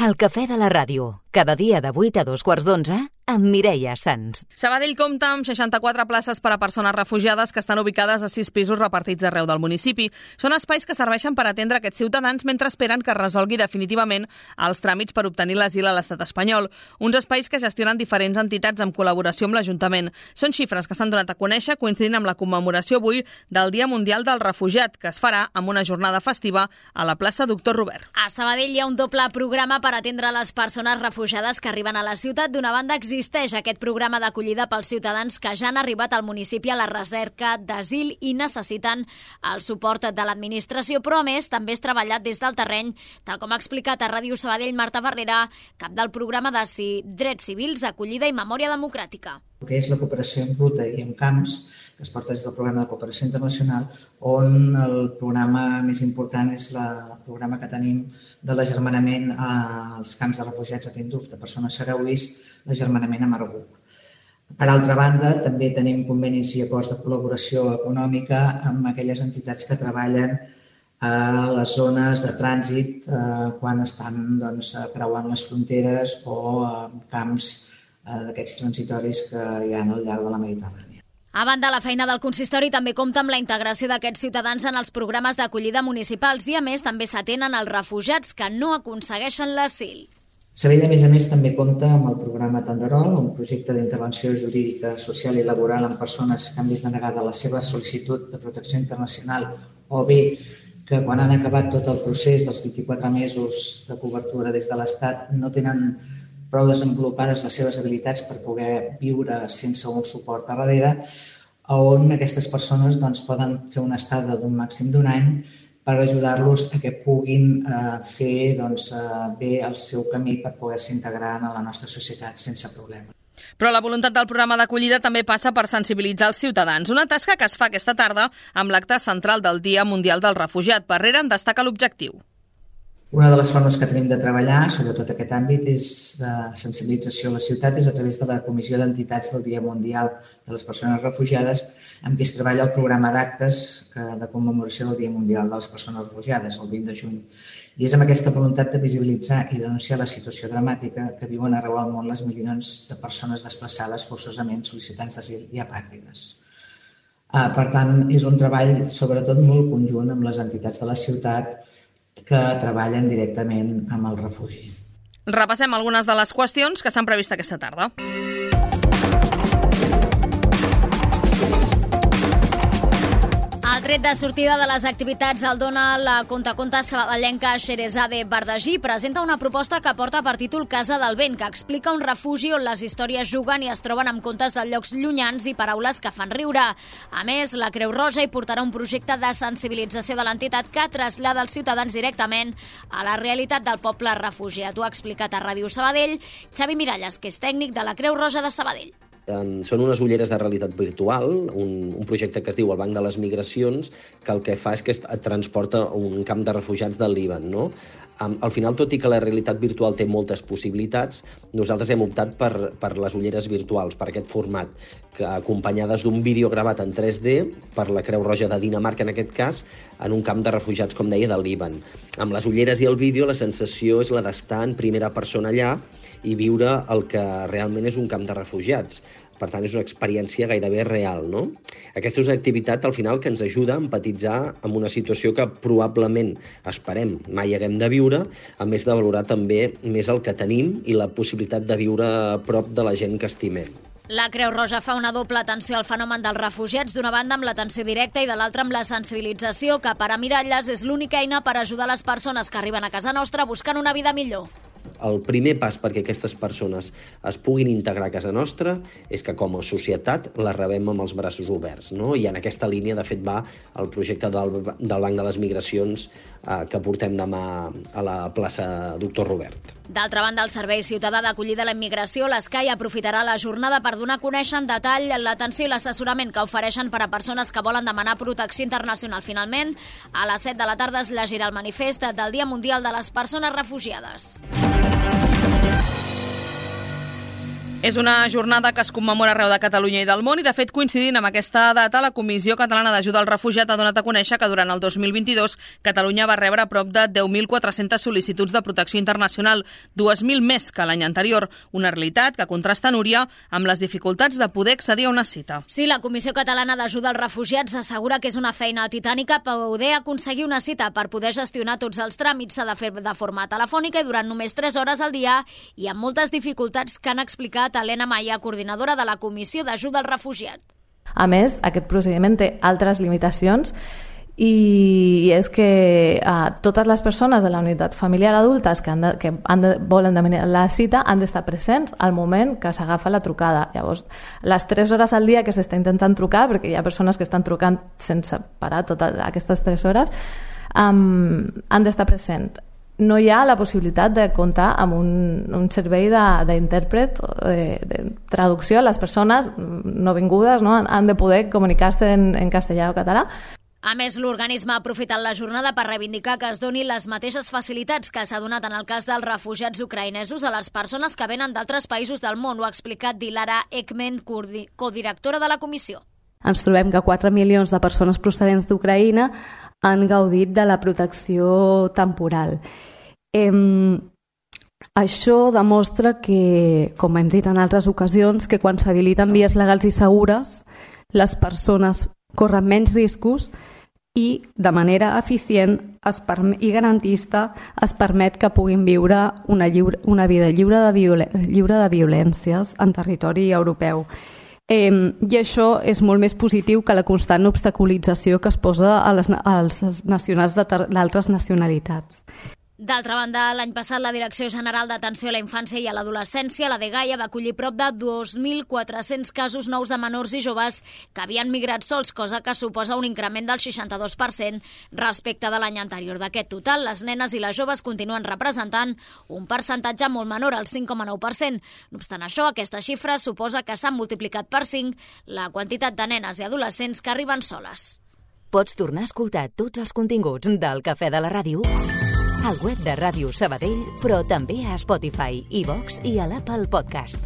El cafè de la ràdio, cada dia de 8 a 2:15, amb Mireia Sans. Sabadell compta amb 64 places per a persones refugiades que estan ubicades a 6 pisos repartits arreu del municipi. Són espais que serveixen per atendre aquests ciutadans mentre esperen que es resolgui definitivament els tràmits per obtenir l'asil a l'estat espanyol. Uns espais que gestionen diferents entitats en col·laboració amb l'Ajuntament. Són xifres que s'han donat a conèixer coincidint amb la commemoració avui del Dia Mundial del Refugiat, que es farà amb una jornada festiva a la plaça Doctor Robert. A Sabadell hi ha un doble programa per atendre les persones refugiades que arriben a la ciutat. D'una banda, existeix aquest programa d'acollida pels ciutadans que ja han arribat al municipi a la recerca d'asil i necessiten el suport de l'administració, però a més també és treballat des del terreny, tal com ha explicat a Ràdio Sabadell Marta Barrera, cap del programa de Drets Civils, Acollida i Memòria Democràtica. El que és la cooperació en ruta i en camps, que es porta des del programa de cooperació internacional, on el programa més important és el programa que tenim de l'agermanament als camps de refugiats a Tinduf, de persones sarauís, l'agermanament a Marburg. Per altra banda, també tenim convenis i acords de col·laboració econòmica amb aquelles entitats que treballen a les zones de trànsit quan estan creuant les fronteres o en camps d'aquests transitoris que hi ha al llarg de la Mediterrània. A banda, la feina del consistori també compta amb la integració d'aquests ciutadans en els programes d'acollida municipals i, a més, també s'atenen els refugiats que no aconsegueixen l'asil. Sabadell, a més, també compta amb el programa Tenderol, un projecte d'intervenció jurídica, social i laboral en persones que han vist denegada la seva sol·licitud de protecció internacional o bé que quan han acabat tot el procés dels 24 mesos de cobertura des de l'Estat no tenen prou desenvolupades les seves habilitats per poder viure sense un suport a darrere, on aquestes persones poden fer una estada d'un màxim d'un any per ajudar-los a que puguin fer bé el seu camí per poder-se integrar en la nostra societat sense problema. Però la voluntat del programa d'acollida també passa per sensibilitzar els ciutadans, una tasca que es fa aquesta tarda amb l'acte central del Dia Mundial del Refugiat. Barrera en destaca l'objectiu. Una de les formes que tenim de treballar, sobretot aquest àmbit, és de sensibilització a la ciutat, és a través de la Comissió d'Entitats del Dia Mundial de les Persones Refugiades, amb qui es treballa el programa d'actes de commemoració del Dia Mundial de les Persones Refugiades, el 20 de juny. I és amb aquesta voluntat de visibilitzar i denunciar la situació dramàtica que viuen arreu del món les milions de persones desplaçades forçosament, sol·licitants d'asil i apàtrides. Per tant, és un treball sobretot molt conjunt amb les entitats de la ciutat que treballen directament amb el refugi. Repassem algunes de les qüestions que s'han previst aquesta tarda. El tret de sortida de les activitats el dona la contacontes sabadellenca Xerezade Bardagí. Presenta una proposta que porta per títol Casa del Vent, que explica un refugi on les històries juguen i es troben amb contes de llocs llunyans i paraules que fan riure. A més, la Creu Roja hi portarà un projecte de sensibilització de l'entitat que trasllada els ciutadans directament a la realitat del poble refugiat. Ho ha explicat a Ràdio Sabadell Xavi Miralles, que és tècnic de la Creu Roja de Sabadell. Són unes ulleres de realitat virtual, un projecte que es diu el Banc de les Migracions, que el que fa és que et transporta a un camp de refugiats del Líban, no? Al final, tot i que la realitat virtual té moltes possibilitats, nosaltres hem optat per les ulleres virtuals, per aquest format, que acompanyades d'un vídeo gravat en 3D per la Creu Roja de Dinamarca, en aquest cas, en un camp de refugiats, com deia, del Líban. Amb les ulleres i el vídeo, la sensació és la d'estar en primera persona allà i viure el que realment és un camp de refugiats. Per tant, és una experiència gairebé real, no? Aquesta és una activitat, al final, que ens ajuda a empatitzar amb una situació que probablement, esperem, mai haguem de viure, a més de valorar també més el que tenim i la possibilitat de viure a prop de la gent que estimem. La Creu Roja fa una doble atenció al fenomen dels refugiats, d'una banda amb l'atenció directa i de l'altra amb la sensibilització, que per a Miralles és l'única eina per ajudar les persones que arriben a casa nostra buscant una vida millor. El primer pas perquè aquestes persones es puguin integrar a casa nostra és que com a societat la rebem amb els braços oberts, no? I en aquesta línia, de fet, va el projecte del Banc de les Migracions que portem demà a la plaça Doctor Robert. D'altra banda, el Servei Ciutadà d'Acollida a la Immigració, l'ESCAI, aprofitarà la jornada per donar a conèixer en detall l'atenció i l'assessorament que ofereixen per a persones que volen demanar protecció internacional. Finalment, a les 7 de la tarda es llegirà el manifest del Dia Mundial de les Persones Refugiades. És una jornada que es commemora arreu de Catalunya i del món i, de fet, coincidint amb aquesta data, la Comissió Catalana d'Ajuda al Refugiat ha donat a conèixer que durant el 2022 Catalunya va rebre prop de 10.400 sol·licituds de protecció internacional, 2.000 més que l'any anterior, una realitat que contrasta, Núria, amb les dificultats de poder accedir a una cita. Sí, la Comissió Catalana d'Ajuda als Refugiats assegura que és una feina titànica poder aconseguir una cita. Per poder gestionar tots els tràmits s'ha de fer de forma telefònica i durant només 3 hores al dia i amb moltes dificultats que han explicat Helena Maia, coordinadora de la Comissió d'Ajuda al Refugiat. A més, aquest procediment té altres limitacions i és que totes les persones de la unitat familiar adultes que volen demanar la cita han d'estar presents al moment que s'agafa la trucada. Llavors, les 3 hores al dia que s'està intentant trucar, perquè hi ha persones que estan trucant sense parar totes aquestes 3 hores, han d'estar presents. No hi ha la possibilitat de comptar amb un servei d'intèrpret, de traducció. Les persones no vingudes han de poder comunicar-se en castellà o català. A més, l'organisme ha aprofitat la jornada per reivindicar que es donin les mateixes facilitats que s'ha donat en el cas dels refugiats ucraïnesos a les persones que venen d'altres països del món. Ho ha explicat Dilara Ekmen, codirectora de la comissió. Ens trobem que 4 milions de persones procedents d'Ucraïna han gaudit de la protecció temporal. Això demostra que, com hem dit en altres ocasions, que quan s'habiliten vies legals i segures, les persones corren menys riscos i de manera eficient i garantista es permet que puguin viure una vida lliure de violències en territori europeu. I això és molt més positiu que la constant obstaculització que es posa als nacionals d'altres nacionalitats. D'altra banda, l'any passat la Direcció General d'Atenció a la Infància i a l'Adolescència, la DGAIA, va acollir prop de 2.400 casos nous de menors i joves que havien migrat sols, cosa que suposa un increment del 62% respecte de l'any anterior. D'aquest total, les nenes i les joves continuen representant un percentatge molt menor, el 5,9%. No obstant això, aquesta xifra suposa que s'han multiplicat per 5 la quantitat de nenes i adolescents que arriben soles. Pots tornar a escoltar tots els continguts del Cafè de la Ràdio al web de Ràdio Sabadell, però també a Spotify, iVox i a l'Apple Podcast.